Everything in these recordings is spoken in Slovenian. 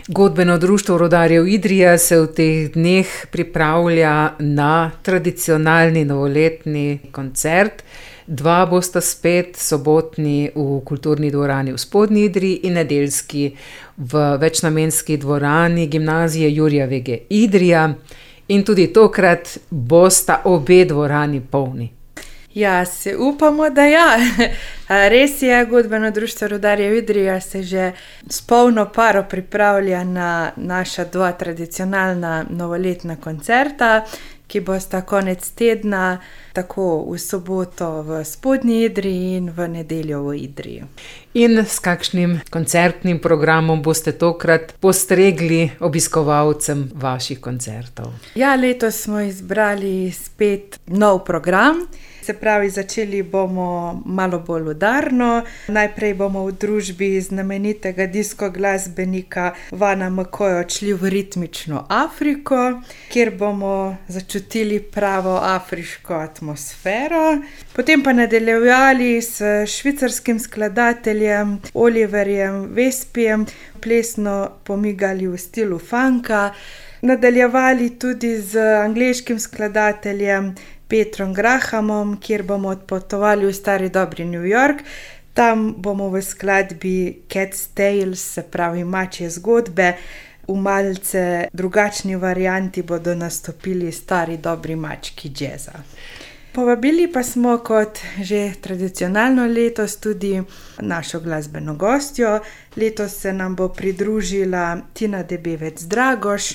Godbeno društvo rudarjev Idrija se v teh dneh pripravlja na tradicionalni novoletni koncert. Dva bosta spet, sobotni v kulturni dvorani v Spodnji Idriji in nedeljski v večnamenski dvorani Gimnazije Jurija Vege Idrija. In tudi tokrat bosta obe dvorani polni. Ja, se upamo, da ja. Res je, Godbeno društvo rudarjev Idrija se že s polno paro pripravlja na naša dva tradicionalna novoletna koncerta, ki bosta konec tedna tako v soboto v Spodnji Idriji in v nedeljo v Idriji. In s kakšnim koncertnim programom boste tokrat postregli obiskovalcem vaših koncertov? Ja, letos smo izbrali spet nov program. Se pravi, začeli bomo malo bolj udarno. Najprej bomo v družbi znamenitega disko glasbenika Vana McCoya odšli v ritmično Afriko, kjer bomo začutili pravo afriško atmosfero. Potem pa nadaljevali s švicarskim skladateljem Oliverjem Vespijem, plesno pomigali v stilu funka. Nadaljevali tudi z angleškim skladateljem Petrom Grahamom, kjer bomo odpotovali v stari dobri New York. Tam bomo v skladbi Cat's Tales, se pravi mačje zgodbe, v malce drugačni varianti bodo nastopili stari dobri mački džeza. Povabili pa smo kot že tradicionalno letos tudi našo glasbeno gostjo. Letos se nam bo pridružila Tina Debevec Dragoš,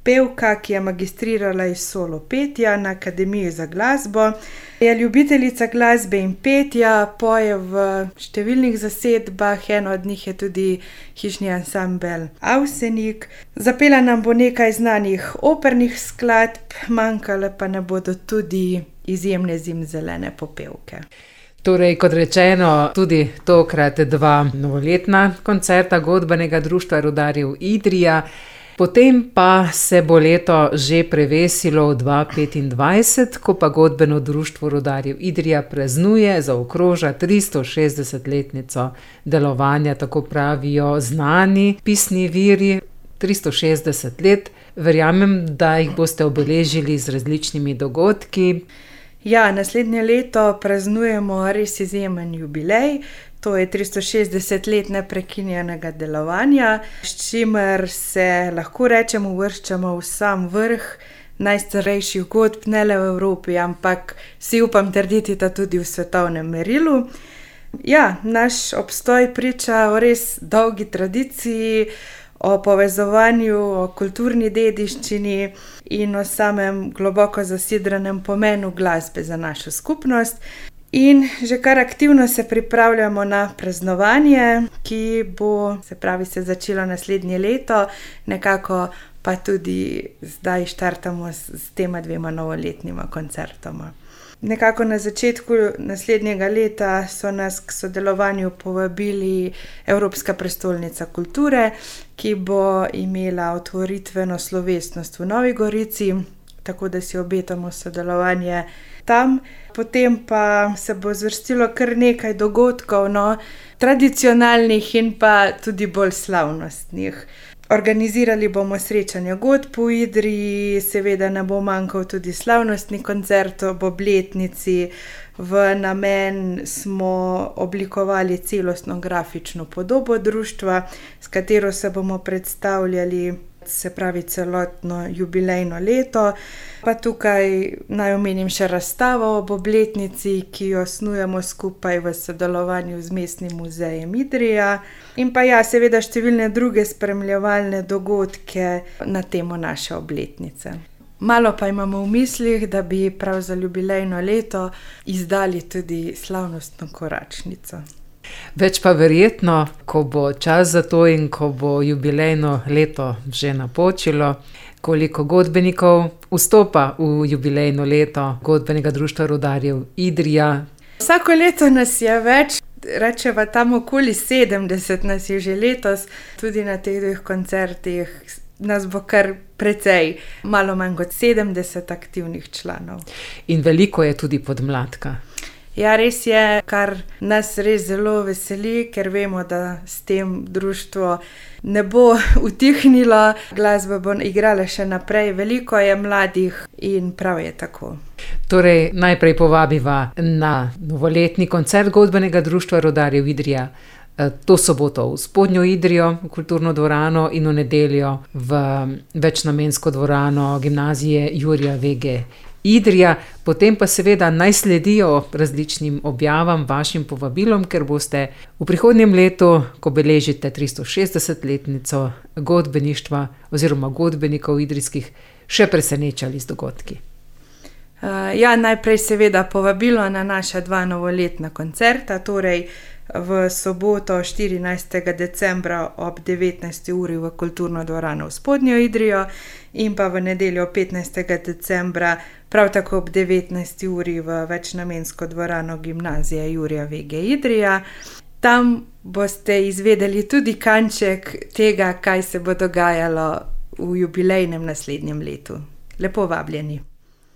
pevka, ki je magistrirala iz solo petja na Akademiji za glasbo. Je ljubiteljica glasbe in petja, poje v številnih zasedbah, eno od njih je tudi hišni ansambel Avsenik. Zapela nam bo nekaj znanih opernih skladb, manjkale pa ne bodo tudi izjemne zimzelene popevke. Torej, kot rečeno, tudi tokrat dva novoletna koncerta Godbenega društva rudarjev Idrija. Potem pa se bo leto že prevesilo v 2025, ko pa Godbeno društvo rudarjev Idrija praznuje, zaokroža 360-letnico delovanja, tako pravijo znani pisni viri. 360 let, verjamem, da jih boste obeležili z različnimi dogodki. Ja, naslednje leto praznujemo res izjemen jubilej. To je 360 let neprekinjenega delovanja, s čimer se lahko rečemo uvrščamo v sam vrh najstarejših godb, ne le v Evropi, ampak si upam trditi, da tudi v svetovnem merilu. Ja, naš obstoj priča o res dolgi tradiciji, o povezovanju, o kulturni dediščini in o samem globoko zasidranem pomenu glasbe za našo skupnost. In že kar aktivno se pripravljamo na praznovanje, ki bo, se pravi, se začelo naslednje leto, nekako pa tudi zdaj štartamo s tema dvema novoletnima koncertoma. Nekako na začetku naslednjega leta so nas k sodelovanju povabili Evropska prestolnica kulture, ki bo imela otvoritveno slovesnost v Novi Gorici, tako da si obetamo sodelovanje tam. Potem pa se bo zvrstilo kar nekaj dogodkov, tradicionalnih in pa tudi bolj slavnostnih. Organizirali bomo srečanje godb v Idriji, seveda ne bo manjkal tudi slavnostni koncert ob obletnici. V namen smo oblikovali celostno grafično podobo društva, s katero se bomo predstavljali, se pravi celotno jubilejno leto. Pa tukaj naj omenim še razstavo ob obletnici, ki jo snujemo skupaj v sodelovanju z Mestnim muzejem Idrija. In pa ja, seveda številne druge spremljevalne dogodke na temo naše obletnice. Malo pa imamo v mislih, da bi prav za jubilejno leto izdali tudi slavnostno koračnico. Več pa verjetno, ko bo čas za to in ko bo jubilejno leto že napočilo, koliko godbenikov vstopa v jubilejno leto Godbenega društva rudarjev Idrija. Vsako leto nas je več, rečeva tam okoli 70 nas je že letos, tudi na teh dveh koncertih nas bo kar precej, malo manj kot 70 aktivnih članov. In veliko je tudi podmladka. Ja, res je, kar nas res zelo veseli, ker vemo, da s tem društvo ne bo utihnilo, glasba bo igrala še naprej, veliko je mladih in prav je tako. Torej, najprej povabiva na novoletni koncert Godbenega društva rudarjev Idrija to soboto v Spodnjo Idrijo, v kulturno dvorano, in v nedeljo v večnamensko dvorano Gimnazije Jurija Vege Idrija. Potem pa seveda naj sledijo različnim objavam, vašim povabilom, ker boste v prihodnjem letu, ko beležite 360-letnico godbeništva oziroma godbenikov idrijskih, še presenečali z dogodki. Ja, najprej seveda povabilo na naša 2 novoletna koncerta, torej v soboto 14. decembra ob 19. uri v kulturno dvorano v Spodnjo Idrijo in pa v nedeljo 15. decembra prav tako ob 19. uri v večnamensko dvorano Gimnazije Jurija Vege Idrija. Tam boste izvedeli tudi kanček tega, kaj se bo dogajalo v jubilejnem naslednjem letu. Lepo vabljeni.